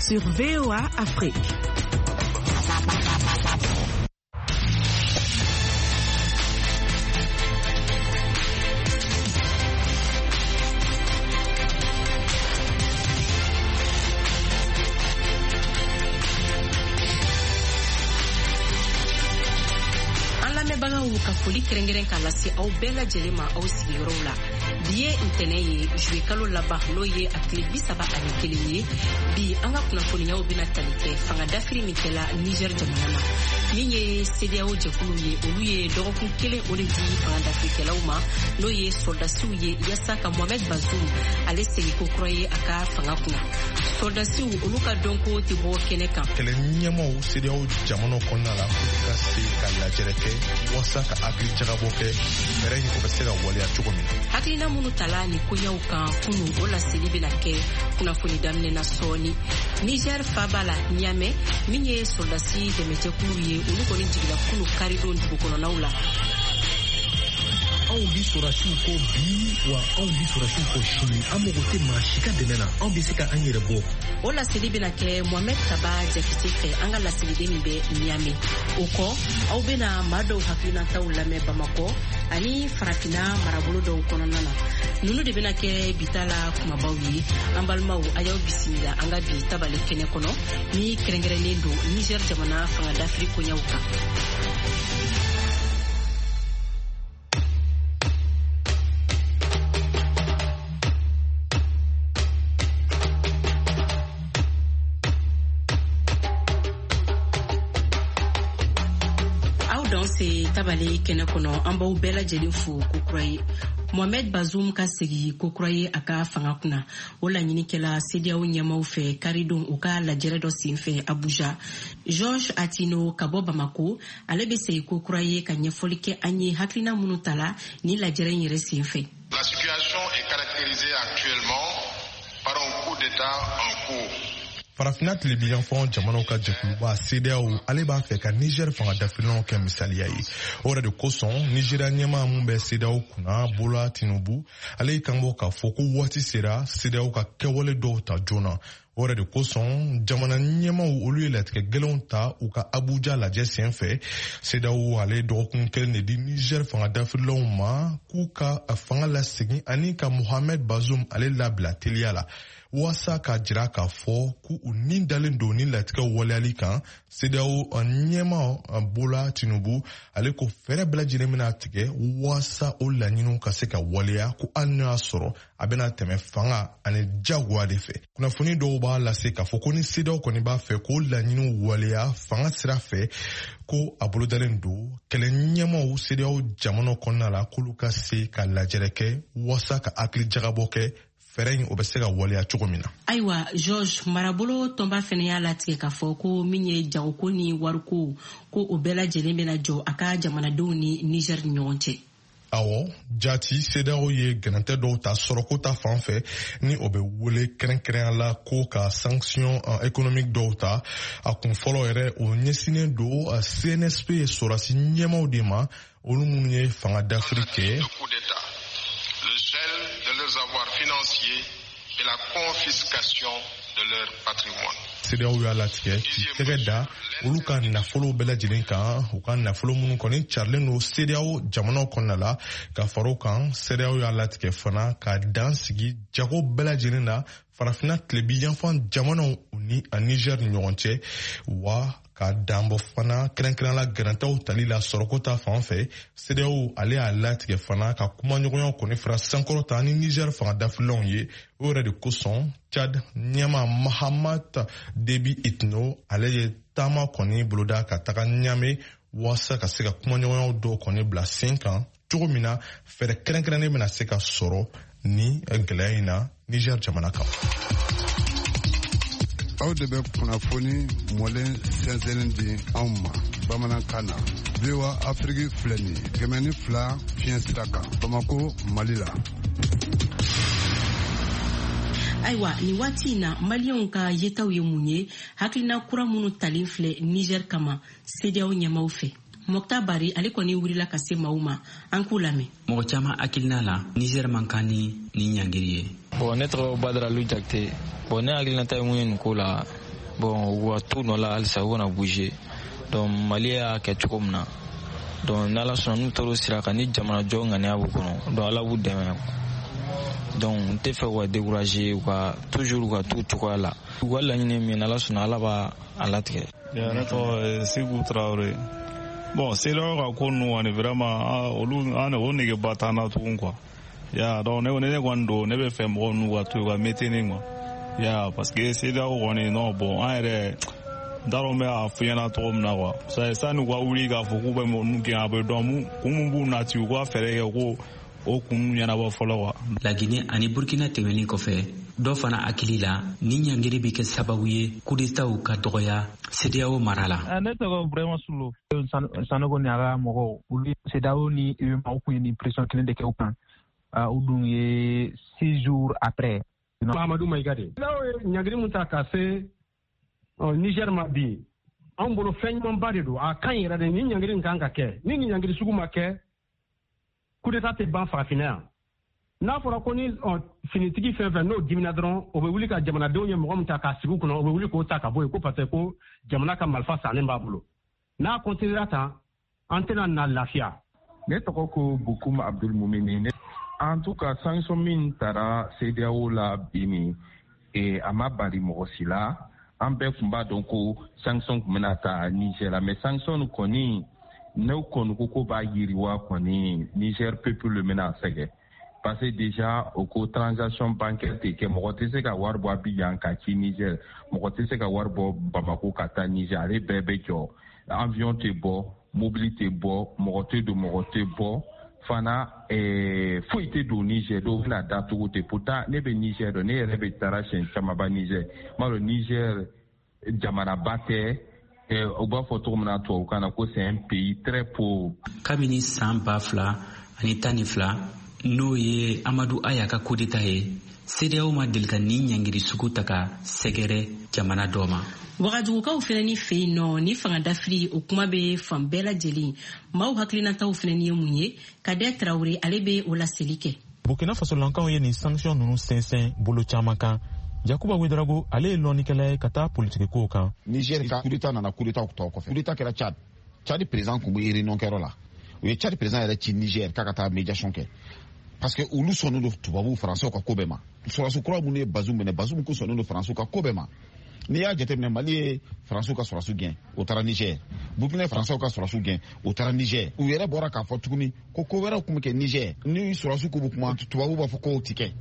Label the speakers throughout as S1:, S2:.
S1: Sur VOA Afrique.
S2: An lamɛnbagaw, ka foli kɛrɛnkɛrɛn k'a lase aw bɛɛ lajɛlen ma aw sigiyɔrɔw la. Bi ye ntɛnɛ ye, juye kalo laban, n'o ye a tile 31 ye. Bi, an ka kunnafoniyaw bɛna tali kɛ fanga dafiri min kɛla Niger jamana na. Min ye CEDEAO jɛkulu ye, olu ye dɔgɔkun kelen o de di fanga dafirikɛlaw ma, n'o ye sɔrɔdasiw ye, yaasa ka Mohamed Bazoum ale segin ko kura ye a ka fanga kunna. Sɔrɔdasiw olu ka dɔnko tɛ bɔ kɛnɛ kan.
S3: Kɛlɛ ɲɛmaw CEDEAO jamanaw kɔnɔna la, k'u ka se ka lajɛrɛ kɛ waasa ka hakili jagabɔ kɛ fɛɛrɛ in, o bɛ se ka waleya cogo min na.
S2: Hakilina minnu tala ni koɲɛw kan kunu, o laseli bɛna kɛ kunnafoni daminɛ na sɔɔni. Niger faba la Niamey, min ye sɔrɔdasi dɛmɛjɛkulu ye, olu kɔni jigila kunu karidon dugu kɔnɔnaw la.
S4: Anw bi sɔrɔdasiw kɔ bi, wa anw bi sɔrɔdasiw kɔ sini. An mago tɛ maa si ka dɛmɛ na, anw bɛ se ka an yɛrɛ bɔ.
S2: O laseli bɛna kɛ Mohamɛd Kaba Jakite fɛ, an ka laseliden min bɛ Niamey. O kɔ, aw bɛna maa dɔw hakilinataw lamɛn Bamakɔ ani Farafina marabolo dɔw kɔnɔna na. Nunu de bɛna kɛ bita la kumabaw ye. An balimaw, a y'aw bisimila an ka bi tabale kɛnɛ kɔnɔ ni kɛrɛnkɛrɛnnen don Niger jamana fanga dafiri koɲɛw kan. Aw danse tabale kɛnɛ kɔnɔ. An b'aw bɛɛ lajɛlen fo kokura ye. Mohamed Bazoum ka segi kokura ye a ka fanga kunna, o laɲini kɛla CEDEAO ɲɛmaw fɛ karidon u ka lajɛrɛ dɔ senfɛ Abuja. George Atino ka bɔ Bamako, ale bɛ segi kokura ye ka ɲɛfɔli kɛ an ye hakilina minnu tala ni lajɛrɛ in yɛrɛ senfɛ.
S5: La situation est caractérisée actuellement par un coup d'État en cours.
S3: Farafinna tilebinyanfan jamanaw ka jɛkuluba CEDEAO, ale b'a fɛ ka Niger fanga dafirilanw kɛ misaliya ye. O yɛrɛ de kosɔn, Nigeria ɲɛmaa mun bɛ CEDEAO kunna, Bola Tinubu, ale y'i kanbɔ k'a fɔ ko waati sera CEDEAO ka kɛwale dɔw ta joona. O yɛrɛ de kosɔn, jamana ɲɛmaw olu ye latigɛ gɛlɛnw ta u ka Abuja lajɛ sen fɛ. CEDEAO ale ye dɔgɔkun kelen de di Niger fanga dafirilanw ma k'u ka fanga lasegin ani ka Mohamed Bazoum ale labila teliya la, waasa k'a jira k'a fɔ k'u ni dalen don ni latigɛw waleyali kan. CEDEAO ɲɛma Bola Tinubu, ale ko fɛɛrɛ bɛɛ lajɛlen bɛna tigɛ waasa o laɲiniw ka se ka waleya, ko hali n'o y'a sɔrɔ a bɛna tɛmɛ fanga ani jagoya de fɛ. Kunnafoni dɔw b'a lase k'a fɔ ko ni CEDEAO kɔni b'a fɛ k'o laɲiniw waleya fanga sira fɛ, ko a bolodalen don kɛlɛ ɲɛmaw CEDEAO jamanaw kɔnɔna la k'olu ka se ka lajɛrɛ kɛ waasa ka hakili jagabɔ kɛ fɛɛrɛ in, o bɛ se ka waleya cogo min na.
S2: Ayiwa George, marabolo tɔnba fɛnɛ y'a latigɛ k'a fɔ ko min ye jagoko ni wariko ko, o bɛɛ lajɛlen bɛna jɔ a ka jamanadenw ni Niger ni ɲɔgɔn cɛ.
S3: Awɔ jati, CEDEAO ye gɛrɛntɛ dɔw ta sɔrɔko ta fan fɛ, ni o bɛ wele kɛrɛnkɛrɛnya la ko ka sanction économique dɔw ta. A kun fɔlɔ yɛrɛ, o ɲɛsinnen don CNSP sɔrɔdasi ɲɛmaw de ma, olu minnu ye fanga dafiri kɛ.
S5: Le coup d'État, le gel de leurs avoirs financiers et la confiscation de leur patrimoine.
S3: CEDEAO y'a latigɛ k'i tɛgɛ da olu ka nafolow bɛɛ lajɛlen kan, u ka nafolo minnu kɔni carilen don CEDEAO jamanaw kɔnɔna la. Ka fara o kan, CEDEAO y'a latigɛ fana ka dan sigi jago bɛɛ lajɛlen na Farafinna tilebi yanfan jamanaw ni a Niger ni ɲɔgɔn cɛ, wa ka danbɔ fana kɛrɛnkɛrɛn la gɛrɛntɛw tali la sɔrɔko ta fan fɛ. CEDEAO ale y'a latigɛ fana ka kumaɲɔgɔnya kɔni fara sankɔrɔta ni Niger fanga dafirilanw ye. O yɛrɛ de kosɔn, Chad ɲɛma Mahamat Debi Itno, ale ye taama kɔni boloda ka taga Ɲame waasa ka se ka kumaɲɔgɔnyaw dɔw kɔni bila sen kan cogo min na fɛɛrɛ kɛrɛnkɛrɛnnen bɛna se ka sɔrɔ ni gɛlɛya in na Niger jamana kan.
S6: Aw de bɛ kunnafoni mɔlen sɛnsɛnnin di anw ma bamanankan na. VOA Afiriki filɛ nin ye, 102 fiɲɛ sira kan, Bamako, Mali la.
S2: Ayiwa, nin waati in na, Maliyɛnw ka yetaw ye mun ye hakilina kura minnu talen filɛ Niger kama CEDEAO ɲɛmaw fɛ? Mɔkta Bari, ale kɔni wulila ka se maaw ma, an k'u lamɛn.
S7: Mɔgɔ caman hakilina la, Niger man kan ni nin ɲangiri ye.
S8: Bon, ne tɔgɔ Badara Lu Jakite. Bon, ne hakilinata ye mun ye nin ko la?
S1: Bon, u ka t'u nɔ la halisa, u kana bouger. Donc Mali y'a kɛ cogo min na, donc n'Ala sɔnna, n'u taara o sira kan ni jamanajɔ ŋaniya b'u kɔnɔ, donc Ala b'u dɛmɛ. Donc n tɛ fɛ u ka décourager, u ka toujours u ka t'u cogoya la. U ka laɲini min, n'Ala sɔnna, Ala b'a a latigɛ.
S8: Ne tɔgɔ Segu Tarawele. Bon, CEDEAO ka ko ninnu kɔni, vraiment, olu an o negeba t'an na tugun quoi. Ya, donc ne kɔni don, ne bɛ fɛ mɔgɔ ninnu ka to yen, ka maintenir quoi. Ya, parce que CEDEAO kɔni, non, bon, an yɛrɛ n t'a dɔn n bɛ a f'i ɲɛna cogo min na quoi. Sani u ka wuli k'a fɔ k'u bɛ mɔgɔ ninnu gɛn, a bɛ dɔn mun kun mun b'u nati, u ka fɛɛrɛ kɛ ko o kun ɲɛnabɔ fɔlɔ quoi.
S7: Laginɛ ani Burkina tɛmɛnen kɔfɛ, dɔ fana hakili la, ni ɲangiri bɛ kɛ sababu ye kudetaw ka dɔgɔya CEDEAO mara la.
S9: Ne tɔgɔ Burema Sulu. Sanogo ni a ka mɔgɔw, olu CEDEAO ni UEMOA, u kun ye nin pression kelen de kɛ u kan. U dun ye 6 jours après.
S10: Mahamadu Mayiga de. CEDEAO ye ɲangiri mun ta ka se Niger ma bi, anw bolo fɛn ɲumanba de don. A kan yɛrɛ de, ni ɲangiri nin kan ka kɛ. Ni nin ɲangiri sugu ma kɛ, coup d'état tɛ ban farafinna yan. N'a fɔra ko ni finitigi fɛn fɛn n'o dimina dɔrɔn, o bɛ wuli ka jamanadenw ye mɔgɔ min ta k'a sigi u kunna, o bɛ wuli k'o ta ka bɔ yen ko parce que ko jamana ka marifa sannen b'a bolo. N'a continuera tan, an tɛna na lafiya.
S11: Ne tɔgɔ ko Bukum Abdul Mumini. En tout cas, sanction min tara CEDEAO la bi nin, a ma bari mɔgɔ si la. An bɛɛ tun b'a dɔn ko sanction tun bɛna ta Niger la, mais sanction kɔni, n'o kɔni ko b'a yiriwa kɔni, Niger peuple le bɛna sɛgɛn, parce que déjà o ko transaction bancaire tɛ kɛ. Mɔgɔ tɛ se ka wari bɔ Abidjan ka ci Niger, mɔgɔ tɛ se ka wari bɔ Bamako ka taa Niger. Ale bɛɛ bɛ jɔ, avion tɛ bɔ, mobili tɛ bɔ, mɔgɔ tɛ don, mɔgɔ tɛ bɔ fana, foyi tɛ don Niger. Dɔw bɛna datugu ten. Pourtant ne bɛ Niger dɔn, ne yɛrɛ bɛ taara siɲɛ camanba Niger. N b'a dɔn Niger jamanaba tɛ, u b'a fɔ cogo min na tubabukan na ko c'est un pays très pauvre.
S7: Kabini san 2012, n'o ye Amadu Aya ka coup d'état ye, CEDEAO ma deli ka nin ɲangiri sugu ta ka sɛgɛrɛ jamana dɔ ma.
S2: Wagadugukaw fɛnɛ ni fɛ yen nɔ, ni fanga dafiri o kuma bɛ fan bɛɛ lajɛlen. Maaw hakilinataw fɛnɛ ye mun ye? Kadɛ Tarawele, ale bɛ o laseli kɛ.
S12: Burkina Fasolankaw ye nin sanction ninnu sɛnsɛn bolo caman kan. Yakuba Wedarago, ale ye lɔnnikɛla ye ka taa politikikow kan.
S13: Niger ka coup d'état nana coup d'état tɔ kɔfɛ. Coup d'état kɛra Tchad. Tchad président kun bɛ réunion kɛyɔrɔ la, u ye Tchad président yɛrɛ ci Niger k'a ka taa médiation kɛ, parce que olu sɔnnen don tubabuw, Faransɛw ka ko bɛɛ ma. Sɔrɔdasi kura minnu ye Bazum minɛ, Bazum ko sɔnnen don Faransɛw ka ko bɛɛ ma. N'i y'a jateminɛ, Mali ye Faransiw ka sɔrɔdasiw gɛn, o taara Niger. Burkina ye Faransiw ka sɔrɔdasiw gɛn, o taara Niger. U yɛrɛ bɔra k'a fɔ tuguni ko ko wɛrɛw tun bɛ kɛ Niger. Ni sɔrɔdasiw k'u bɛ kuma, tubabuw b'a fɔ k'o ti kɛ.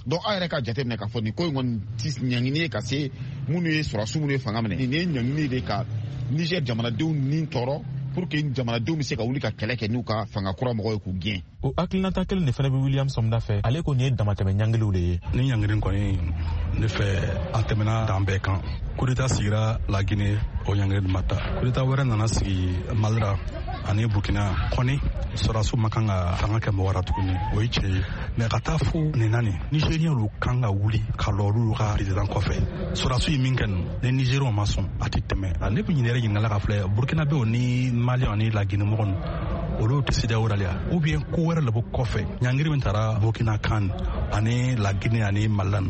S13: Donc aw yɛrɛ ka jateminɛ k'a fɔ nin ko in kɔni ti ɲangini ye ka se minnu ye sɔrɔdasiw minnu ye fanga minɛ. Nin ye ɲangini de ka Niger jamanadenw ni tɔɔrɔ, pour que jamanadenw bɛ se ka wuli ka kɛlɛ kɛ n'u ka fanga kura mɔgɔw ye k'u gɛn.
S12: O hakilinata kelen de fana bɛ William Sɔmda fɛ. Ale ko nin ye damatɛmɛ ɲangiliw de ye.
S14: Ni ɲangili kɔni, ne fɛ, a tɛmɛna dan bɛɛ kan. Coup d'état sigira La Guinée, o ɲangili ma ta. Coup d'état wɛrɛ nana sigi Mali la ani Burkina kɔni. Sɔrɔdasiw ma kan ka fanga kɛ mɔgɔ la tuguni, o ye tiɲɛ ye, mais ka taa fo nin na nin, Nigérien lu kan ka wuli ka lɔ olu ka président kɔfɛ. Sɔrɔdasiw ye min kɛ nin, ni Nigérienw ma sɔn, a tɛ tɛmɛ. Ne bɛ ɲinɛ yɛrɛ ɲininkala ka filɛ, Burkinabéw ni Maliyɛnw ni La Guinée mɔgɔ ninnu, olu tɛ CEDEAO la, ou bien ko wɛrɛ le bɛ kɔfɛ? Ɲangiri min taara Burkina kan ani La Guinée ani Mali la,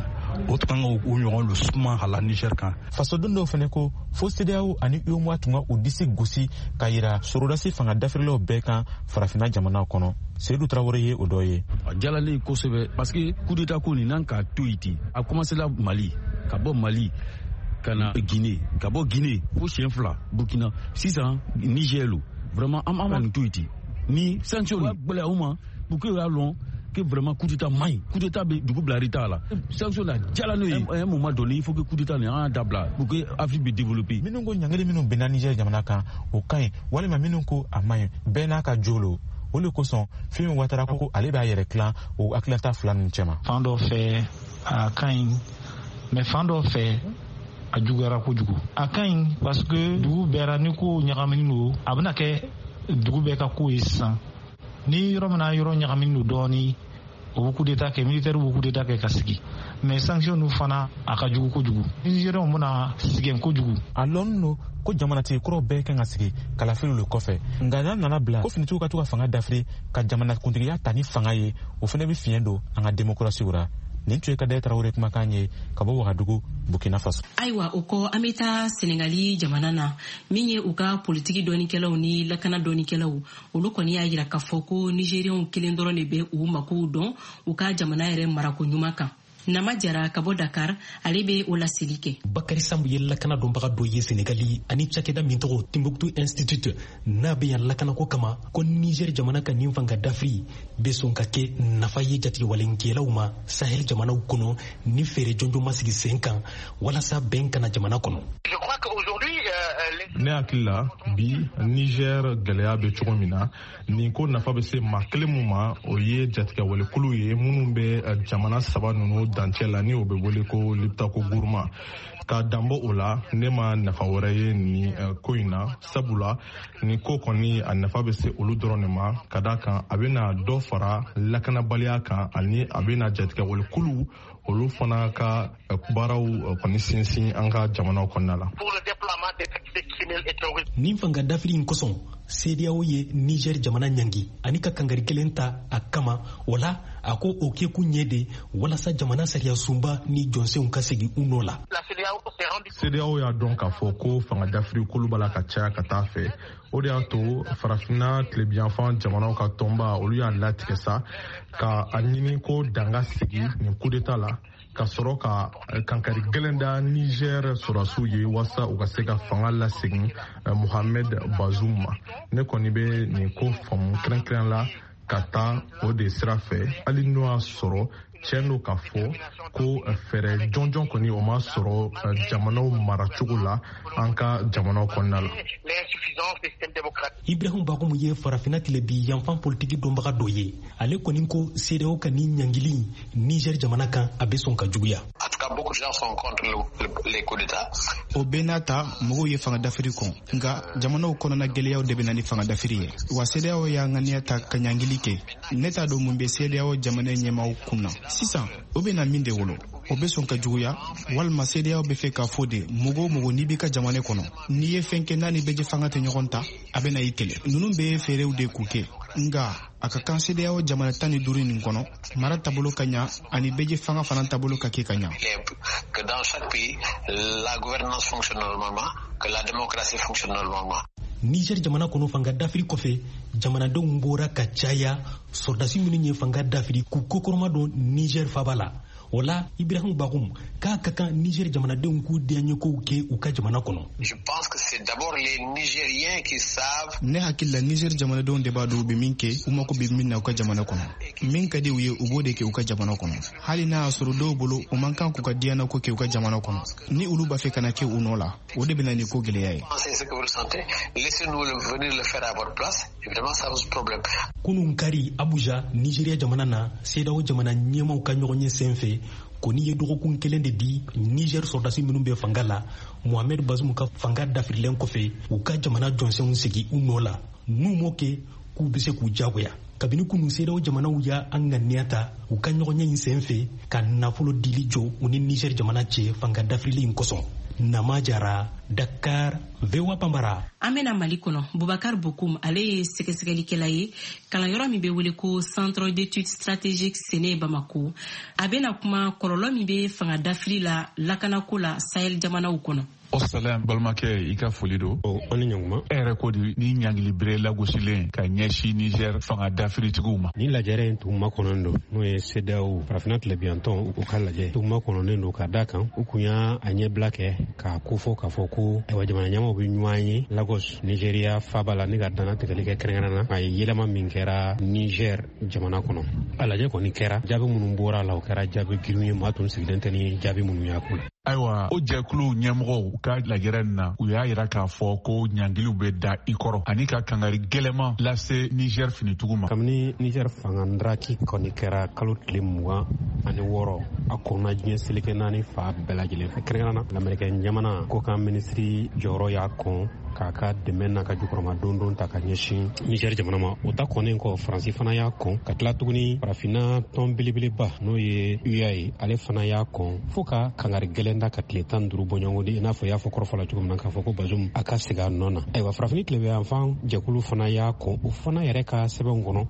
S14: o tun kan ka u ɲɔgɔn lu suma ka la Niger kan.
S12: Fasoden dɔw fɛnɛ ko fo CEDEAO ani UEMOA tun ka u disi gosi ka yira sorodasi fanga dafirilaw bɛɛ kan farafinna jamanaw kɔnɔ. Seyidu Tarawele ye o dɔ ye.
S15: A jalalen kosɛbɛ, parce que coup d'état ko nin, n'an k'a to yen ten, a commencé la Mali, ka bɔ Mali ka na Guinée, ka bɔ Guinée fo siɲɛ fila Burkina, sisan Niger lo. Vraiment, an ma nin to yen ten. Ni sanction nin gbɛlɛya u ma pour que u y'a lɔn que vraiment coup d'état man ɲi, coup d'état bɛ dugu bila retard la. Sanction la jala n'o ye, à un moment donné, il faut que coup d'état nin, an y'a dabila pour que Afrique bɛ développer.
S12: Minnu ko ɲangili minnu binna Niger jamana kan, o ka ɲi, walima minnu ko a man ɲi, bɛɛ n'a ka jo lo. O le kosɔn Fimi Watara ko ale b'a yɛrɛ tilan o hakilinata fila ninnu cɛma.
S16: Fan dɔ fɛ, a ka ɲi, mais fan dɔ fɛ, a juguyara kojugu. A ka ɲi parce que dugu bɛɛ ra, ni ko ɲagaminen don, a bɛna kɛ dugu bɛɛ ka ko ye. Sisan ni yɔrɔ min na yɔrɔ ɲagaminen don dɔɔni, o bɛ coup d'état kɛ, militaire bɛ coup d'état kɛ ka sigi. Mais sanction ninnu fana, a ka jugu kojugu, Nigériens bɛna sɛgɛn kojugu.
S12: A lɔnnen don ko jamanatigi kuraw bɛɛ kan ka sigi kalafiliw le kɔfɛ, nka n'a nana bila ko finitigiw ka to ka fanga dafiri ka jamanakuntigiya ta ni fanga ye, o fana bɛ fiɲɛ don an ka démocratie ra. Nin tun ye Kadɛ Tarawele kumakan ye ka bɔ Wagadugu, Burkina Faso.
S2: Ayiwa, o kɔ an bɛ taa Senegali jamana na, min ye u ka politiki dɔnnikɛlaw ni lakana dɔnnikɛlaw, olu kɔni y'a yira k'a fɔ ko Nigériens kelen dɔrɔn de bɛ u makow dɔn u ka jamana yɛrɛ marako ɲuman kan. Nama Jara ka bɔ Dakar, ale bɛ o laseli kɛ.
S4: Bakari Sambu ye lakana dɔnbaga dɔ ye Senegali ani cakɛda min tɔgɔ Timbuktu Institute n'a bɛ yan lakanako kama, ko Niger jamana ka nin fanga dafiri bɛ sɔn ka kɛ nafa ye jatigɛwalenkɛlaw ma Sahel jamanaw kɔnɔ ni fɛɛrɛ jɔnjɔn ma sigi sen kan walasa bɛn kana jamana kɔnɔ.
S3: Ne hakili la, bi Niger gɛlɛya bɛ cogo min na, nin ko nafa bɛ se maa kelen mun ma, o ye jatigɛwalekulu ye minnu bɛ jamana saba ninnu dancɛ la, ni o bɛ wele ko Liptako Gourma. Ka danbɔ o la, ne ma nafa wɛrɛ ye nin ko in na, sabula nin ko kɔni a nafa bɛ se olu dɔrɔn de ma, ka d'a kan a bɛna dɔ fara lakanabaliya kan, ani a bɛna jatigɛwalekulu olu fana ka baaraw kɔni sinsin an ka jamanaw kɔnɔna la.
S4: Nin fanga dafiri in kosɔn, CEDEAO ye Niger jamana ɲangi ani ka kangari kelen ta a kama. O la, a ko o kɛkun ye de walasa jamana sariya sunba ni jɔnsenw ka segin u nɔ la.
S3: CEDEAO y'a dɔn k'a fɔ ko fanga dafiri kolu b'a la ka caya ka taa fɛ. O de y'a to farafinna tilebiyanfan jamanaw ka tɔnba, olu y'a latigɛ sa ka a ɲini ko danga sigi nin coup d'état la, ka sɔrɔ ka kankari gɛlɛn da Niger sɔrɔdasiw ye walasa u ka se ka fanga lasegin Mohamed Bazoum ma. Ne kɔni bɛ nin ko faamu kɛrɛnkɛrɛn la ka taa o de sira fɛ, hali n'o y'a sɔrɔ tiɲɛ don k'a fɔ ko fɛɛrɛ jɔnjɔn kɔni o ma sɔrɔ jamanaw maracogo la an ka jamanaw kɔnɔna la.
S4: Ibrahim Bakhoum ye farafinna tilebi yanfan politiki dɔnbaga dɔ ye. Ale kɔni ko CEDEAO ka nin ɲangili Niger jamana kan, a bɛ sɔn ka juguya.
S17: O bɛɛ n'a ta, mɔgɔw ye fanga dafiri kɔn, nka jamanaw kɔnɔna gɛlɛyaw de bɛ na ni fanga dafiri ye. Wa CEDEAO y'a ŋaniya ta ka ɲangili kɛ. Ne t'a dɔn mun bɛ CEDEAO jamana ɲɛmaaw kun na sisan. O bɛ na min de wolo, o bɛ sɔn ka juguya, walima CEDEAO bɛ fɛ k'a fɔ de mɔgɔ o mɔgɔ n'i b'i ka jamana kɔnɔ, n'i ye fɛn kɛ n'a ni bɛɛ fanga tɛ ɲɔgɔn ta, a bɛ na i kɛlɛ. Ninnu bɛɛ ye fɛɛrɛw de k'u kɛ, nka a ka kan CEDEAO jamana 15 nin kɔnɔ, mara taabolo ka ɲa ani bɛɛ fanga fana taabolo ka kɛ ka ɲa.
S18: Que dans chaque pays, la gouvernance fonctionne normalement, que la démocratie fonctionne normalement.
S4: Niger jamana kɔnɔ, fanga dafiri kɔfɛ, jamanadenw bɔra ka caya sɔrɔdasi minnu ye fanga dafiri k'u kokɔrɔma don Niger faba la. O la, Ibrahim Bakhoum k'a ka kan Niger jamanadenw k'u diyaɲɛkow kɛ u ka jamana kɔnɔ.
S18: Je pense que c'est d'abord les Nigériens qui savent.
S17: Ne hakili la, Niger jamanadenw de b'a dɔn u bɛ min kɛ, u mako bɛ min na u ka jamana kɔnɔ. Min ka di u ye, u b'o de kɛ u ka jamana kɔnɔ, hali n'a y'a sɔrɔ dɔw bolo u man kan k'u ka diyanako kɛ u ka jamana kɔnɔ. Ni olu b'a fɛ ka na kɛ u nɔ la, o de bɛ na ni ko gɛlɛya ye.
S18: C'est ce que vous ressentez. Laissez-nous venir le faire à votre place. Évidemment, ça pose problème.
S4: Kunun kari, Abuja, Nigeria jamana na, CEDEAO jamana ɲɛmaw ka ɲɔgɔn ye sen fɛ kɔni ye dɔgɔkun kelen de di Niger sɔrɔdasi minnu bɛ fanga la Mohamed Bazoum ka fanga dafirilen kɔfɛ, u ka jamana jɔnsɛnw segin u nɔ la. N'u m'o kɛ, k'u bɛ se k'u jagoya. Kabini kunu, CEDEAO jamanaw y'a an ŋaniya ta u ka ɲɔgɔnye in sen fɛ ka nafolo dili jɔ u ni Niger jamana cɛ fanga dafirili in kosɔn. Nama Jara, Dakar, VOA Bambara.
S2: An bɛna Mali kɔnɔ. Bubakar Bokum, ale ye sɛgɛsɛgɛlikɛla ye kalanyɔrɔ min bɛ wele ko Centre d'études stratégiques Séné Bamako. A bɛna kuma kɔlɔlɔ min bɛ fanga dafiri la lakanako la Sahel jamanaw kɔnɔ.
S19: O salam, balimakɛ, i ka foli don.
S10: An ni ɲɔguma.
S19: E yɛrɛ ko di ni ɲangili bere lagosilen ka ɲɛsin Niger fanga dafiritigiw ma?
S10: Ni lajɛrɛ in tun makɔnɔnen don, n'o ye CEDEAO, farafinna tilebiyantɔn, u ka lajɛ tun makɔnɔnen don, ka da kan u kun y'a a ɲɛbila kɛ k'a kofɔ k'a fɔ ko ayiwa, jamana ɲɛmaw bɛ ɲɔgɔn ye Lagos, Nigeria faba la, ni ka dannatigɛli kɛ kɛrɛnkɛrɛn na a ye yɛlɛma min kɛra Niger jamana kɔnɔ. A lajɛ kɔni kɛra, jaabi minnu bɔra a la, o kɛra jaabi girin ye, maa tun sigilen tɛ ni jaabi minnu y'a ko la.
S19: Ayiwa, o jɛkulu ɲɛmɔgɔw ka lajɛrɛ nin na, u y'a yira k'a fɔ ko ɲangiliw bɛ da i kɔrɔ ani ka kangari gɛlɛman lase Niger finitigiw ma.
S10: Kabini Niger fanga ndaraki kɔni kɛra kalo tile 26, a kɔnna diɲɛ seleke naani fa bɛɛ lajɛlen fɛ, kɛrɛnkɛrɛn na lamerikɛn jamana kɔkan minisiri jɔyɔrɔ y'a kɔn.
S4: k'a ka dɛmɛ n'a ka jukɔrɔma dondon ta ka ɲɛsin Niger jamana ma. O ta kɔnnen kɔ, Faransi fana y'a kɔn, ka tila tuguni farafinna tɔn belebeleba n'o ye UA ye, ale fana y'a kɔn fo ka kangari gɛlɛn da ka tile 15 bɔɲɔgɔnko di, i n'a fɔ i y'a fɔ kɔrɔfɔ la cogo min na, k'a fɔ ko Bazoum a ka segin a nɔ na. Ayiwa, farafini tilebinyanfan jɛkulu fana y'a kɔn, o fana yɛrɛ ka sɛbɛnw kɔnɔ,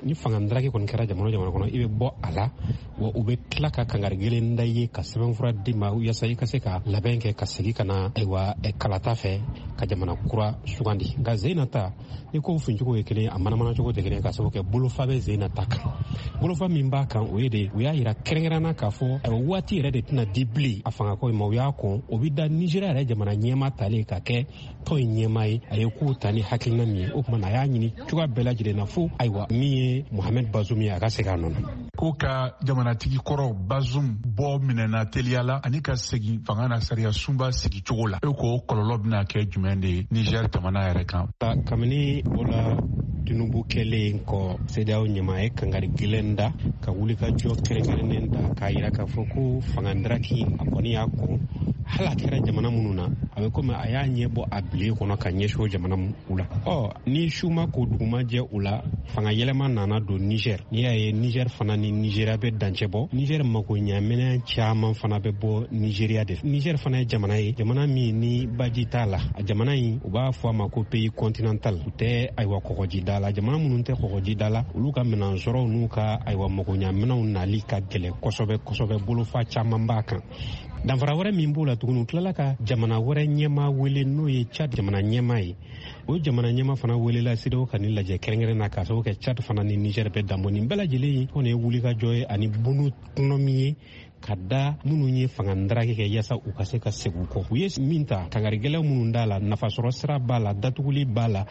S4: ni fanga ndaraki kɔni kɛra jamana o jamana kɔnɔ, i bɛ bɔ a la, wa u bɛ tila ka kangari gɛlɛn da i ye ka sɛbɛnfura d'i ma yaasa i ka se ka labɛn kɛ ka segin ka na ayiwa kalata fɛ ka jamana kura sugandi. Nka Zena ta ni kow fincogo ye kelen, a manamana cogo tɛ kelen, ka sababu kɛ bolofa bɛ Zena ta kan. Bolofa min b'a kan, o ye de u y'a yira kɛrɛnkɛrɛnna k'a fɔ ayiwa waati yɛrɛ de tɛna di bilen a fangako in ma. U y'a kɔn, o bɛ da Nizeriya yɛrɛ jamana ɲɛmaa talen ka kɛ tɔn in ɲɛmaa ye. A ye kow ta ni hakilina min ye, o tuma na a y'a ɲini cogoya bɛɛ lajɛlen na fo ayiwa min ye Mohamed Bazoum ye, a ka segin a nɔ na.
S19: Ko ka jamanatigi kɔrɔ Bazoum bɔ minɛna teliya la ani ka segin fanga na sariya sunba sigi cogo la, e ko kɔlɔlɔ bɛna kɛ jumɛn de ye Niger jamana yɛrɛ kan?
S4: Kabini Bola Tinubu kɛlen kɔ CEDEAO ɲɛmaa ye kangari gɛlɛn da ka wulikajɔ kɛrɛnkɛrɛnnen ta k'a yira k'a fɔ ko fanga ndaraki a kɔni y'a kɔn, hali a kɛra jamana minnu na, a bɛ komi a y'a ɲɛ bɔ a bilen kɔnɔ ka ɲɛsin o jamana u la. Ɔ ni su ma ko dugu ma jɛ u la, fanga yɛlɛma nana don Niger. N'i y'a ye Niger fana ni Nigeria bɛ dancɛ bɔ, Niger mako ɲaminɛn caman fana bɛ bɔ Nigeria de. Niger fana ye jamana ye, jamana min ni baji t'a la. A jamana in, u b'a fɔ a ma ko pays continental, u tɛ ayiwa kɔgɔjida la. Jamana minnu tɛ kɔgɔjida la, olu ka minɛn sɔrɔw n'u ka ayiwa makoɲaminɛnw nali ka gɛlɛn kosɛbɛ kosɛbɛ, bolofa caman b'a kan. Danfara wɛrɛ min b'o la tuguni, u tilala ka jamana wɛrɛ ɲɛmaa wele, n'o ye Tchad jamana ɲɛmaa ye. O jamana ɲɛmaa fana welela CEDEAO ka nin lajɛ kɛrɛnkɛrɛn na, k'a sababu kɛ Tchad fana ni Niger bɛ danbɔ. Nin bɛɛ lajɛlen kɔni ye wulikajɔ ye ani bunu kɔnɔmi ye ka da minnu ye fanga ndaraki kɛ yaasa u ka se ka segin u kɔ. U ye min ta, kangari gɛlɛn minnu d'a la, nafasɔrɔ sira b'a la, datuguli b'a la,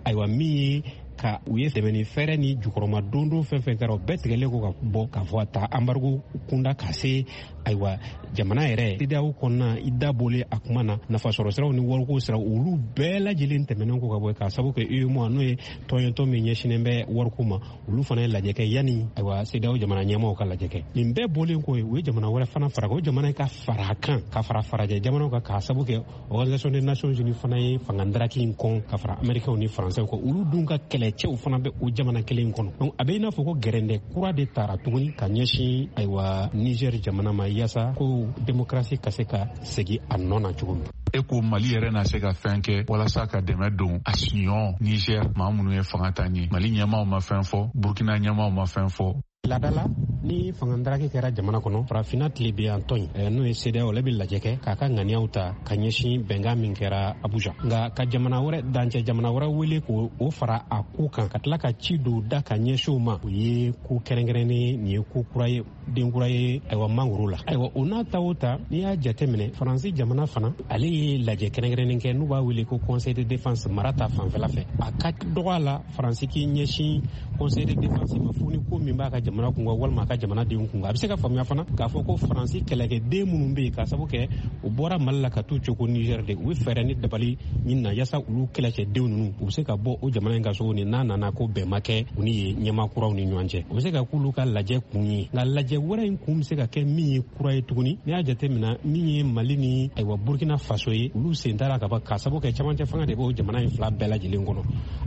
S4: ayiwa min ye ka u ye dɛmɛ ni fɛɛrɛ ni jukɔrɔma dondon fɛn fɛn kɛra, o bɛɛ tigɛlen ko ka bɔ k'a fɔ a ta embargo kunda ka se ayiwa jamana yɛrɛ CEDEAO kɔnɔna. I da bɔlen a kuma na, nafasɔrɔ siraw ni wariko siraw, olu bɛɛ lajɛlen tɛmɛnen ko ka bɔ, k'a sababu kɛ UEMOA, n'o ye tɔn ye, tɔn min ɲɛsinnen bɛ wariko ma, olu fana ye lajɛ kɛ yanni ayiwa CEDEAO jamana ɲɛmaaw ka lajɛ kɛ. Nin bɛɛ bɔlen kɔ ye, u ye jamana wɛrɛ fana fara o jamana ka fara a kan, ka fara farajɛ jamanaw kan, k'a sababu kɛ Organisation des Nations Unies fana ye fanga ndaraki in kɔn ka fara Américains ni Français kan. Olu dun ka kɛlɛcɛw fana bɛ o jamana kelen kɔnɔ. Donc a bɛ i n'a fɔ ko gɛrɛndɛ kura de tara tuguni ka ɲɛsin ayiwa Niger jamana ma, yaasa ko démocratie ka se ka segin a nɔ na cogo min.
S19: E ko Mali yɛrɛ na se ka fɛn kɛ walasa ka dɛmɛ don a siɲɔ Niger maa minnu ye fanga ta ɲɛ? Mali ɲɛmaaw ma fɛn fɔ, Burkina ɲɛmaaw ma fɛn fɔ.
S4: Laada la, ni fanga ndaraki kɛra jamana kɔnɔ, farafinna tilebinyan tɔn in, n'o ye CEDEAO, ale bɛ lajɛ kɛ k'a ka ŋaniyaw ta ka ɲɛsin bɛnkan min kɛra Abuja. Nka ka jamana wɛrɛ, dancɛ jamana wɛrɛ wele k'o o fara a ko kan, ka tila ka ci don da ka ɲɛsin o ma, o ye ko kɛrɛnkɛrɛnnen, nin ye ko kura ye, den kura ye ayiwa mangoro la. Ayiwa, o n'a ta o ta, n'i y'a jateminɛ, Faransi jamana fana, ale ye lajɛ kɛrɛnkɛrɛnnen kɛ n'u b'a wele ko Conseil de défense mara ta fanfɛla fɛ. A ka dɔgɔ a la Faransi k'i ɲɛsin Conseil de défense ma fo ni ko min b'a ka jamana kun kan walima a ka jamanadenw kun kan. A bɛ se ka faamuya fana k'a fɔ ko Faransi kɛlɛkɛden minnu bɛ yen, k'a sababu kɛ u bɔra Mali la ka t'u cogo Niger de, u bɛ fɛɛrɛ ni dabali ɲini na yaasa olu kɛlɛcɛdenw ninnu, u bɛ se ka bɔ o jamana in ka so ni n'a nana ko bɛn ma kɛ u ni yen ɲɛmaa kuraw ni ɲɔgɔn cɛ. O bɛ se ka k'olu ka lajɛ kun ye. Nka lajɛ wɛrɛ in kun bɛ se ka kɛ min ye kura ye tuguni, n'i y'a jateminɛ, min ye Mali ni ayiwa Burkina Faso ye, olu sen t'a la ka ban, k'a sababu kɛ camancɛ fanga de b'o jamana in fila bɛɛ lajɛlen kɔnɔ.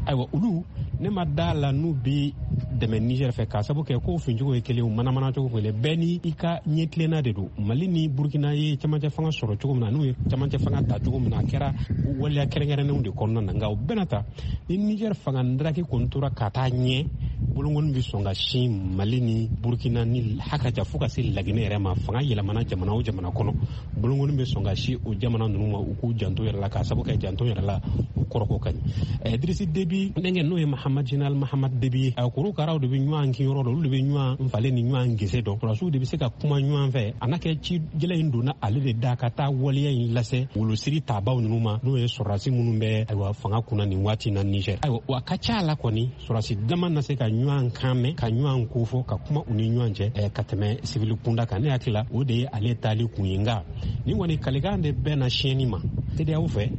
S4: Ayiwa, olu ne ma da la n'u bi dɛmɛ Niger fɛ, k'a sababu kɛ ko fincogo ye kelen, manamana cogo kelen, bɛɛ ni i ka ɲɛtilenna de don. Mali ni Burkina ye camancɛ fanga sɔrɔ cogo min na, n'u ye camancɛ fanga ta cogo min na, a kɛra waleya kɛrɛnkɛrɛnnenw de kɔnɔna na. Nka o bɛna ta ni Niger fanga ndaraki kɔni tora ka taa ɲɛ, bolonkɔni bɛ sɔn ka sin Mali ni Burkina ni hakaja fo ka se Laginɛ yɛrɛ ma. Fanga yɛlɛmana jamana o jamana kɔnɔ, bolonkɔni bɛ sɔn ka sin o jamana ninnu ma, u k'u janto yɛrɛ la, k'a sababu kɛ janto yɛrɛ la u kɔrɔko ka ɲi. Idrisi Debi denkɛ, n'o ye Mahamad, Général Mahamad Debi ye, a korokaraw de bɛ ɲɔgɔn kin yɔrɔ dɔn, olu de bɛ ɲɔgɔn falen ni ɲɔgɔn gese dɔn. Sɔrɔdasiw de bɛ se ka kuma ɲɔgɔn fɛ. A n'a kɛ ci gɛlɛn in donna ale de da ka taa waleya in lase wolosiri tabaw ninnu ma, n'o ye sɔrɔdasi minnu bɛ ayiwa fanga kunna nin waati na Niger. Ayiwa, a ka ca la kɔni, sɔrɔdasi dama na se ka ɲɔgɔn kan mɛn, ka ɲɔgɔn kofɔ, ka kuma u ni ɲɔgɔn cɛ ka tɛmɛ sibili kunda kan. Ne hakili la, o de ye ale taali kun ye. Nka nin kɔni kalikan de bɛɛ na siɲɛni ma CEDEAO fɛ,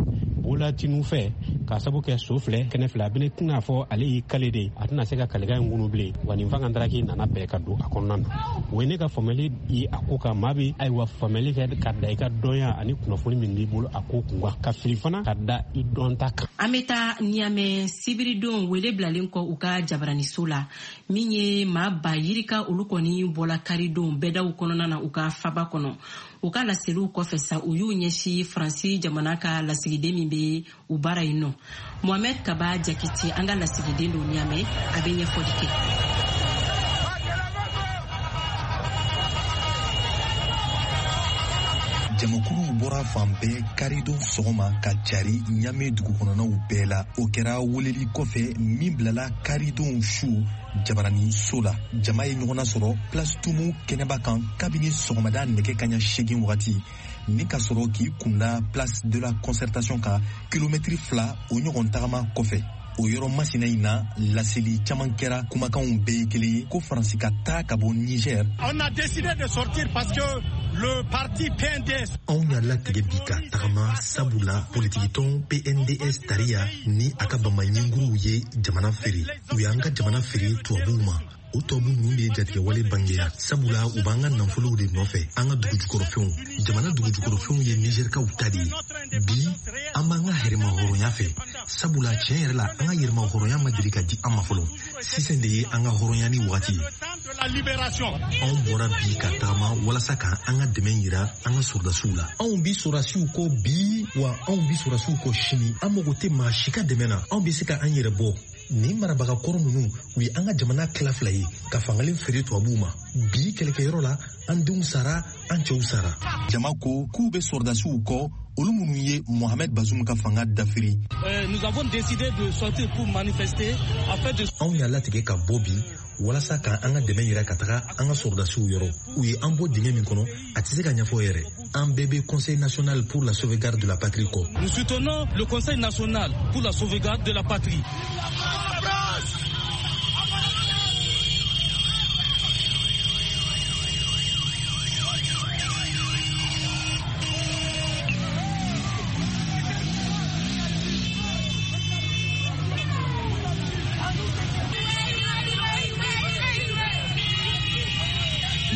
S4: Bola Tinubu fɛ.
S20: K'a sabu kɛ so filɛ kɛnɛ filɛ, a bɛna tɛna fɔ ale y'i kale de, a tɛna se ka kalikan in kunu bilen. Wa nin fanga daraki nana bɛn ka don a kɔnɔna na. O ye ne ka faamuyali ye a ko kan. Maa bɛ ayiwa faamuyali kɛ ka da i ka dɔnya ani kunnafoni min b'i bolo a ko kun kan, ka fili fana ka da i dɔnta kan.
S2: An bɛ taa Niamey sibiridon wele bilalen kɔ u ka jabaraniso la, min ye maa ba yirika olu kɔni bɔla karidon bɛɛdaw kɔnɔna na u ka faba kɔnɔ. U ka laseliw kɔfɛ sa, u y'u ɲɛsin Faransi jamana ka lasigiden min bɛ u baara yen nɔ. Mohamed Kaba Jakite, an ka lasigiden don Niamey, a bɛ ɲɛfɔli kɛ.
S21: Jamakuluw bɔra fan bɛɛ karidon sɔgɔma ka cari Niamey dugu kɔnɔnaw bɛɛ la. O kɛra weleli kɔfɛ min bilala karidon su jabaraninso la. Jama ye ɲɔgɔn nasɔrɔ Place Tumu kɛnɛba kan kabini sɔgɔmada nɛgɛ kaɲa 8 wagati, ni ka sɔrɔ k'i kunda Place de la Concertation kan kilomɛtiri 2 o ɲɔgɔn tagama kɔfɛ. O yɔrɔ masina in na, laseli caman kɛra, kumakanw bɛɛ ye kelen ye ko Faransi ka taa ka bɔ Niger.
S22: On a décidé de sortir parce que le parti PNDS.
S21: Anw y'a latigɛ bi ka tagama sabula politikitɔn PNDS tariya ni a ka bamaɲinguruw ye jamana feere. U y'an ka jamana feere tubabuw ma. O tubabu ninnu de ye jatigɛwale bangeya, sabula u b'an ka nafolow de nɔfɛ, an ka dugujukɔrɔfɛnw. Jamana dugujukɔrɔfɛnw ye Nizɛrikaw ta de ye. Bi an b'an ka yɛrɛmahɔrɔnya fɛ, sabula tiɲɛ yɛrɛ la an ka yɛrɛmahɔrɔnya ma deli ka di an ma fɔlɔ. Sisan de ye an ka hɔrɔnya ni wagati ye. Anw bɔra bi ka tagama walasa ka an ka dɛmɛ yira an ka sɔrɔdasiw la. Anw bi sɔrɔdasiw kɔ bi, wa anw bi sɔrɔdasiw kɔ sini. An mago tɛ maa si ka dɛmɛ na, anw bɛ se ka an yɛrɛ bɔ. Nin marabaga kɔrɔ ninnu, u ye an ka jamana tila fila ye ka fangalen feere tubabuw ma. Bi kɛlɛkɛyɔrɔ la, an denw sara, an cɛw sara. Jama ko k'u bɛ sɔrɔdasiw kɔ, olu minnu ye Mohamed Bazoum ka fanga dafiri.
S23: Nous avons décidé de sortir pour manifester afin de.
S21: Anw y'a latigɛ ka bɔ bi walasa ka an ka dɛmɛ yira ka taga an ka sɔrɔdasiw yɔrɔ. U ye an bɔ dingɛ min kɔnɔ, a tɛ se ka ɲɛfɔ yɛrɛ. An bɛɛ bɛ Conseil national pour la sauvegarde de la patrie kɔ.
S23: Nous soutenons le Conseil national pour la sauvegarde de la patrie.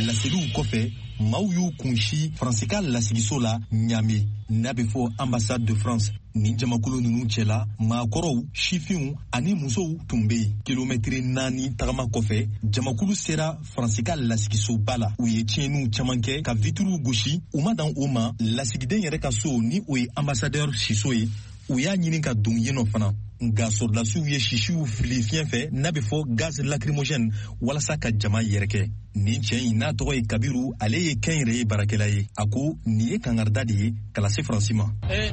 S21: Laseliw kɔfɛ, maaw y'u kunsi Faransi ka lasigiso la Niamey, n'a bɛ fɔ ambassade de France. Nin jamakulu ninnu cɛla, maakɔrɔw, sifinw ani musow tun bɛ yen. Kilomɛtiri 4 tagama kɔfɛ, jamakulu sera Faransi ka lasigisoba la. U ye tiɲɛniw caman kɛ ka vitiriw gosi. U ma dan o ma, lasigiden yɛrɛ ka so, ni o ye ambassadeur siso ye, u y'a ɲini ka don yen nɔ fana. Nka sɔrɔdasiw ye sisiw fili fiɲɛ fɛ, n'a bɛ fɔ gaz lacrymogène, walasa ka jama yɛrɛkɛ. Nin cɛ in n'a tɔgɔ ye Kabiru, ale ye kɛnyɛrɛye baarakɛla ye. A ko nin ye kangarida de ye ka lase Faransi ma.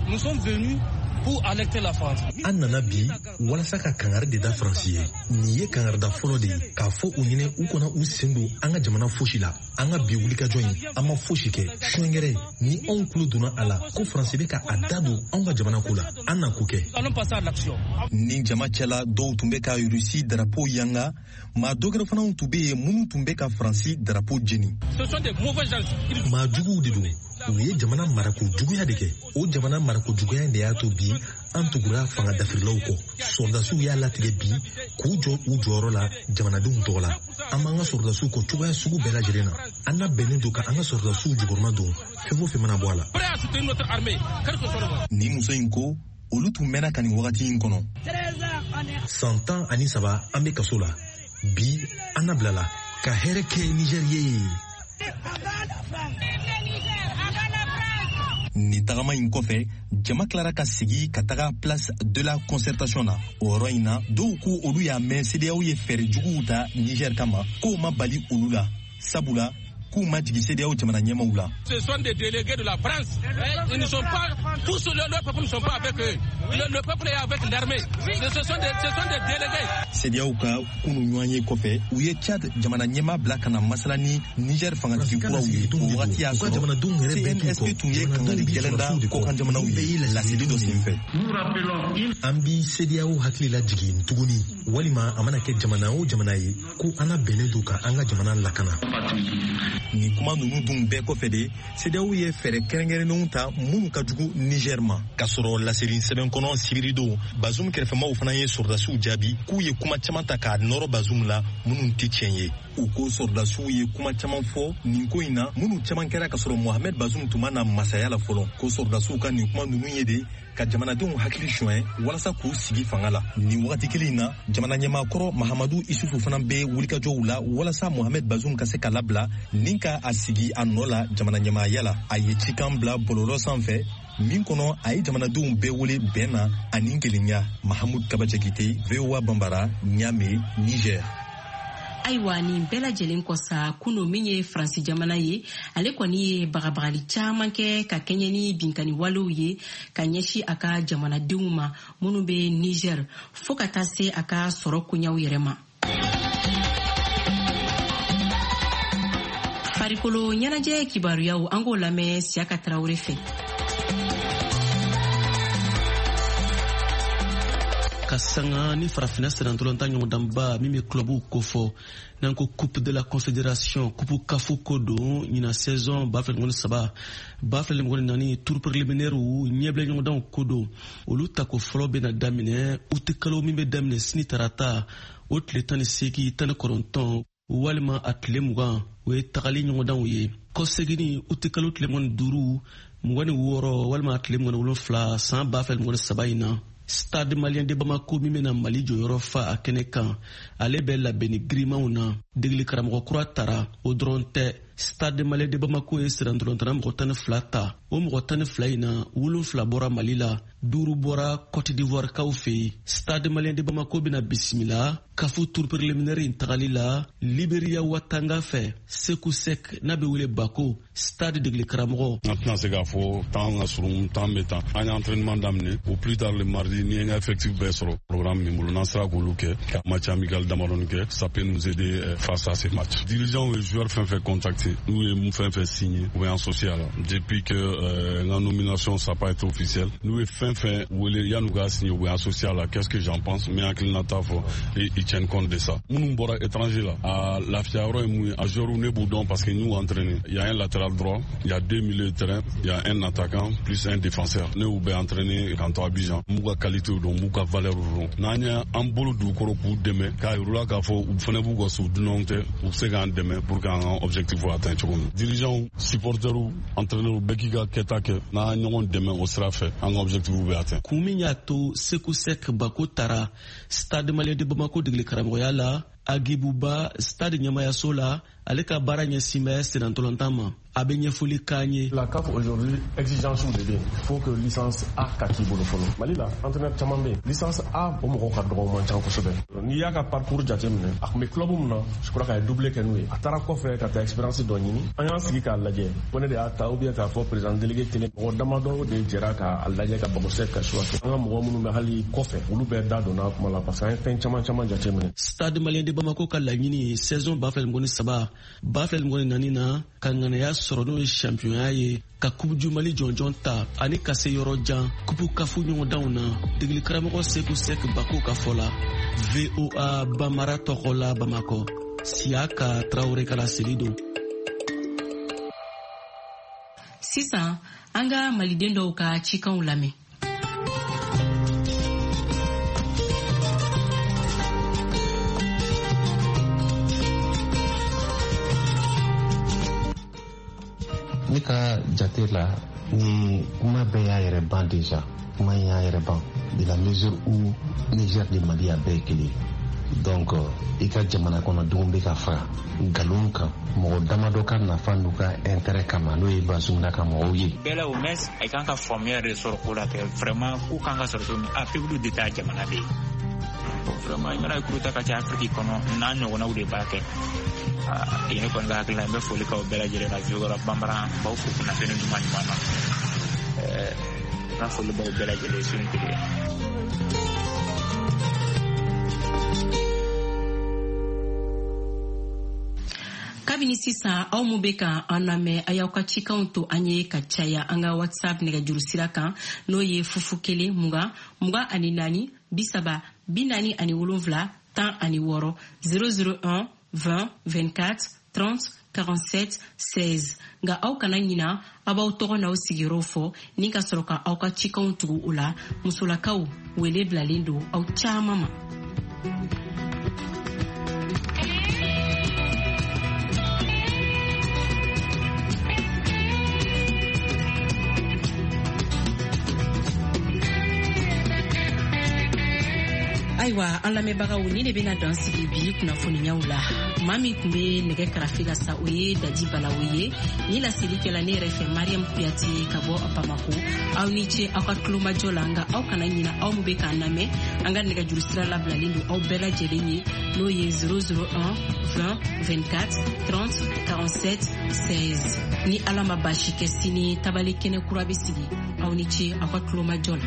S23: Nous sommes venus pour alerter la France.
S21: An nana bi walasa ka kangari de da Faransi ye. Nin ye kangarida fɔlɔ de ye k'a fɔ u ɲinɛ u kana u sen don an ka jamana fosi la. An ka bi wulikajɔ in, an ma fosi kɛ. Suɲɛgɛrɛ ni anw tulo donna a la ko Faransi bɛ ka a da don anw ka jamana ko la, an na ko kɛ. Nin jama cɛla dɔw tun bɛ ka Rusi darapo yanga, maa dɔ wɛrɛ fana tun bɛ yen minnu tun bɛ ka Faransi darapo jeni. Maa juguw de don. U ye jamana marako juguya de kɛ. O jamana marako juguya de y'a to bi an tugura fanga dafirilaw kɔ. Sɔrɔdasiw y'a latigɛ bi k'u jɔ u jɔyɔrɔ la jamanadenw tɔgɔ la. An b'an ka sɔrɔdasiw kɔ cogoya sugu bɛɛ lajɛlen na. An labɛnnen don ka an ka sɔrɔdasiw jukɔrɔma don fɛn o fɛn mana bɔ a la. Nin muso in ko olu tun mɛnna ka nin wagati in kɔnɔ. San 13 an bɛ kaso la. Bi an nabilala ka hɛrɛ kɛ Niger ye. Nin tagama in kɔfɛ, jama tilara ka segi ka taga Place de la Concertation na. O yɔrɔ in na, dɔw ko olu y'a mɛn CEDEAO ye fɛɛrɛ juguw ta Niger kama, k'o ma bali olu la, sabula k'u ma jigin CEDEAO jamana ɲɛmaw la.
S23: Ce sont des délégués de la France. Ils ne sont pas tous, le peuple ne sont pas avec eux. Le peuple est avec l'armée. Ce sont des délégués.
S21: CEDEAO ka kunu ɲɔgɔn ye kɔfɛ, u ye Tchad jamana ɲɛmaa bila ka na masala ni Niger fangatigi kuraw ye. O wagati y'a sɔrɔ CNSP tun ye kangari gɛlɛn da kɔkan jamanaw ye laseli dɔ senfɛ. An bi CEDEAO hakili lajigin tuguni. Walima a mana kɛ jamana o jamana ye, ko an labɛnnen don ka an ka jamana lakana. Nin kuma ninnu dun bɛɛ kɔfɛ de, CEDEAO ye fɛɛrɛ kɛrɛnkɛrɛnnenw ta minnu ka jugu Niger ma. K'a sɔrɔ laseli sɛbɛn kɔnɔ sibiridon, Bazoum kɛrɛfɛmaw fana ye sɔrɔdasiw jaabi k'u ye kuma caman ta k'a nɔrɔ Bazoum la minnu tɛ tiɲɛ ye. U ko sɔrɔdasiw ye kuma caman fɔ nin ko in na minnu caman kɛra k'a sɔrɔ Mohamed Bazoum tun ma na masaya la fɔlɔ. Ko sɔrɔdasiw ka nin kuma ninnu ye de ka jamanadenw hakili suɲɛ walasa k'u sigi fanga la. Nin wagati kelen in na, jamana ɲɛmaa kɔrɔ Mahamadu Isufu fana bɛ wulikajɔw la walasa Mohamed Bazoum ka se ka labila ni ka a sigi a nɔ la jamana ɲɛmaaya la. A ye cikan bila bɔlɔlɔ sanfɛ min kɔnɔ a ye jamanadenw bɛɛ wele bɛn na ani kelenya. Mahamud Kaba Jakite, VOA Bambara, Niamey, Niger.
S2: Ayiwa, nin bɛɛ lajɛlen kɔ sa, kunu min ye Faransi jamana ye, ale kɔni ye bagabagali caman kɛ ka kɛɲɛ ni binkani walew ye ka ɲɛsin a ka jamanadenw ma minnu bɛ Niger, fo ka taa se a ka sɔrɔ koɲaw yɛrɛ ma. Farikolo ɲɛnajɛ kibaruyaw, an k'o lamɛn Siyaka Tarawele fɛ.
S1: Ka sanga ni farafinna sennantolatan ɲɔgɔndanba min bɛ clubw kofɔ n'an ko Coupe de la Confédération, Coupe CAF ko don, ɲina saison 2023 2024 tour préliminaire ɲɛbila ɲɔgɔndanw ko don, olu tako fɔlɔ bɛna daminɛ uti kalo min bɛ daminɛ sini tarata o tile 18, 19 walima a tile 20, o ye tagali ɲɔgɔndanw ye. Kɔseginni uti kalo tile 25, 26 walima a tile 27 san 2023 in na, Stade Malien de Bamako min bɛna Mali jɔyɔrɔ fa a kɛnɛ kan, ale bɛ labɛnni girimanw na. Degeli karamɔgɔ kura tara, o dɔrɔn tɛ, Stade Malien de Bamako ye sirantolantana mɔgɔ 12 ta. O mɔgɔ 12 in na, 7 bɔra Mali la, 5 bɔra Cote d'Ivoire kaw fɛ yen. Stade Malien de Bamako bɛna bisimila CAF tour préliminaire in tagali la Liberia Watanga fɛ, Seku Sek n'a bɛ wele Bako, Stade degeli karamɔgɔ.
S5: An tɛna se k'a fɔ temps ka surun, temps bɛ tan. An ye entraînement daminɛ au plus tard le mardi, ni n ka effectif bɛɛ sɔrɔ programme min bolo, n'an sera k'olu kɛ ka match amical damadɔni kɛ, ça peut nous aider face à ces matchs. Dirigeants ye joueur fɛn fɛn contacté, n'u ye mun fɛn fɛn signé, u bɛ associé a la. Depuis que n ka nomination, ça pas été officiel, n'u ye fɛn fɛn wele yan'u k'a signé, u bɛ associé a la. Qu'est-ce que j'en pense? N bɛ hakilinata fɔ et ils tiennent compte de ça. Minnu bɔra étranger la, a lafiya yɔrɔ ye mun ye? A joueur, ne b'u dɔn parce que n y'u entraîné. Il y a un latéral droit, il y a deux milieux de terrain, il y a un attaquant plus un défenseur. Ne y'u bɛɛ entraîné k'an to Abidjan. N b'u ka qualité dɔn, n b'u ka valeur dɔn. N'an ye an bolo dugukɔrɔ k'u dɛmɛ k'a yir'u la k'a fɔ u fana b'u ka so, dunanw tɛ, u bɛ se k'an dɛmɛ pour qu'an ka objectif atteint cogo min. Dirigeants, supporters, entraîneurs, bɛɛ k'i ka kɛta kɛ, n'an ɲɔgɔn dɛmɛ o sira fɛ, an ka objectif bɛ atteint.
S1: Kun min y'a to Seku Sek Bako tara Stade Malien de Bamako degeli karamɔgɔya la, Agibuba Stade ɲɛmayaso la, ale ka baara ɲɛsin bɛ sennantolatan ma. A bɛ ɲɛfɔli k'an ye.
S6: La CAF aujourd'hui, exigence de bɛ yen. Il faut que licence A ka k'i bolo fɔlɔ. Mali la, entraîneur caman bɛ yen, licence A o mɔgɔw ka dɔgɔ, o man ca kosɛbɛ. N'i y'a ka parcours jateminɛ, a tun bɛ club min na, je crois k'a ye doublé kɛ n'u ye. A taara kɔfɛ ka taa expérience dɔ ɲini. An y'an sigi k'a lajɛ ko ne de y'a ta ou bien k'a fɔ président délégué kelen, mɔgɔ damadɔ de jɛra k'a lajɛ ka Bako Sek ka choix kɛ. An ka mɔgɔ minnu bɛ hali kɔfɛ, olu bɛɛ da donna kuma la parce que an ye fɛn caman caman jateminɛ.
S1: Stade Malien de Bamako ka laɲini saison 2023 2024 na, ka ŋanaya sɔrɔ n'o ye championya ye, ka Coupe du Mali jɔnjɔn ta ani ka se yɔrɔ jan Coupe CAF ɲɔgɔndanw na. Degeli karamɔgɔ Seku Sek Bako ka fɔ la, VOA Bamara tɔgɔ la Bamakɔ, Siyaka Tarawele ka laseli don.
S2: Sisan an ka maliden dɔw ka cikanw lamɛn.
S24: Ne ka jate la, ni kuma bɛɛ y'a yɛrɛ ban déjà, kuma in y'a yɛrɛ ban de la mesure où Niger ni Mali a bɛɛ ye kelen. Donc i ka jamana kɔnɔdenw bɛ ka faga nkalon kan mɔgɔ damadɔ ka nafa n'u ka intérêt kama, n'o ye Bazoum n'a ka mɔgɔw ye.
S25: Bɛɛ la, au moins a kan ka faamuya de sɔrɔ ko la kɛ vraiment ko kan ka sɔrɔ cogo min a peuple de ta jamana bɛ yen. Bon, vraiment i mana coup d'état ka ca Afiriki kɔnɔ, n'a ɲɔgɔnnaw de b'a kɛ. Ne kɔni ka hakilina, n bɛ foli k'aw bɛɛ lajɛlen na VOA Bambara, n b'aw fo kunnafoni duman ɲuman na. N ka foli b'aw bɛɛ lajɛlen su ni tile.
S2: Kabini sisan, aw mun bɛ ka an lamɛn, a y'aw ka cikanw to an ye ka caya an ka WhatsApp nɛgɛjuru sira kan, n'o ye 00 1 20 24. 30 47 16 001 20 24 30 47 16. Nka aw kana ɲina, aw b'aw tɔgɔ n'aw sigiyɔrɔw fɔ ni ka sɔrɔ ka aw ka cikanw tugu o la. Musolakaw, wele bilalen don aw caaman ma. Ayiwa, an lamɛnbagaw, ni de bɛna dan sigi bi kunnafoniyaw la. Maa min tun bɛ nɛgɛ karafe la sa, o ye Dadi Balawo ye. Ni laseli kɛla ne yɛrɛ fɛ, Mariam Kuyate ka bɔ Bamako. Aw ni ce aw ka tulomajɔ la. Nka aw kana ɲina, aw min bɛ k'an lamɛn, an ka nɛgɛjuru sira labilalen don aw bɛɛ lajɛlen ye, n'o ye 001 20 24 30 47 16. Ni Ala ma baasi kɛ, sini tabali kɛnɛ kura bɛ sigi. Aw ni ce aw ka tulomajɔ la.